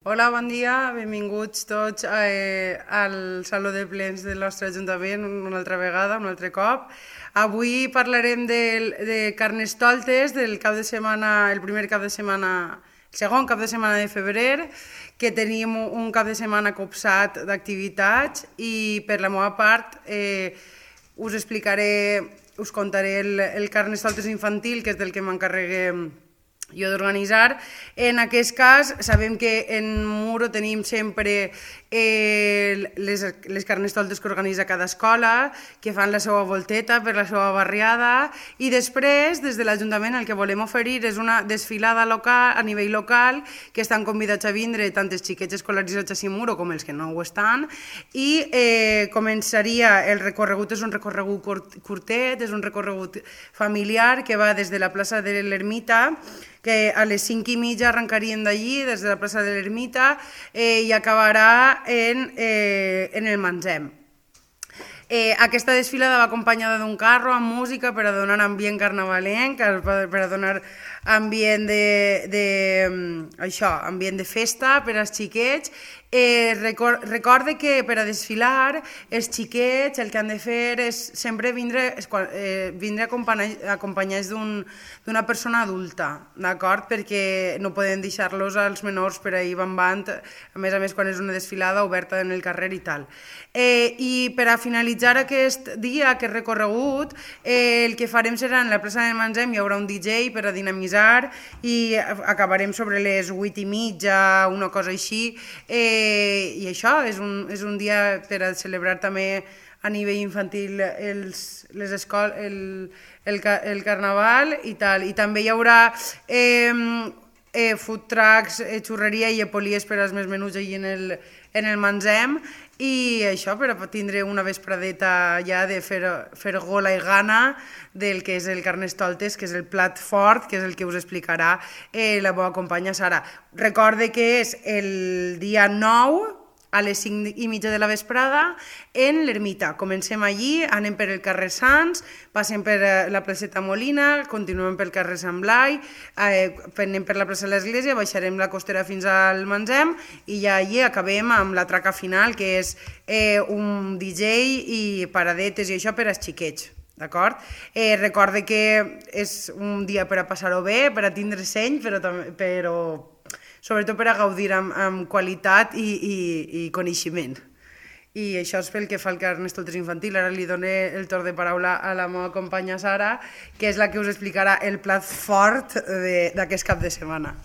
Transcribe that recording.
Hola, bon dia, benvinguts tots al Saló de Plens del nostre Ajuntament una altra vegada, un altre cop. Avui parlarem de Carnestoltes, del cap de setmana, el primer cap de setmana, el segon cap de setmana de febrer, que tenim un cap de setmana copsat d'activitats i per la meva part us explicaré, us contaré el Carnestoltes infantil, que és del que m'encarregué jo d'organitzar. En aquest cas, sabem que en Muro tenim sempre les carnestoltes que organitza cada escola, que fan la seva volteta per la seva barriada, i després, des de l'Ajuntament, el que volem oferir és una desfilada local, a nivell local, que estan convidats a vindre tant els xiquets escolaritzats a Muro com els que no ho estan, i començaria, el recorregut és un recorregut curtet, és un recorregut familiar que va des de la plaça de l'Ermita, que a les 5:30 arrencaríem d'allí, des de la plaça de l'Ermita, i acabarà en el Manzem. Aquesta desfilada va acompanyada d'un carro amb música per a donar ambient carnavalenc, per a donar ambient ambient de festa per als xiquets. Recorde que per a desfilar els xiquets el que han de fer és sempre vindre acompanyats d'una persona adulta, d'acord? Perquè no podem deixar-los als menors per ahir bambant, a més quan és una desfilada oberta en el carrer i tal. I per a finalitzar aquest dia, aquest recorregut, el que farem serà en la plaça del Manzem, hi haurà un DJ per a dinamitzar i acabarem sobre les 8:30, una cosa així, i això és un dia per a celebrar també a nivell infantil el carnaval i tal. I també hi haurà food trucks, xurreria i epolies per als més menuts allà en el Manzem, i això per a tindre una vespradeta ja de fer gola i gana del que és el Carnestoltes, que és el plat fort, que és el que us explicarà la meva companya Sara. Recorde que és el dia 9 a les 5:30 de la vesprada en l'Ermita. Comencem allí, anem per el carrer Sants, passem per la placeta Molina, continuem pel carrer Sant Blai, anem per la plaça de l'Església, baixarem la costera fins al Manzem i ja allí acabem amb la traca final, que és un DJ i paradetes i això per als xiquets. D'acord? Recorde que és un dia per a passar-ho bé, per a tindre seny, però sobretot per a gaudir amb qualitat i coneixement. I això és pel que fa al Carnestoltes infantil. Ara li dono el torn de paraula a la meva companya Sara, que és la que us explicarà el plat fort d'aquest cap de setmana.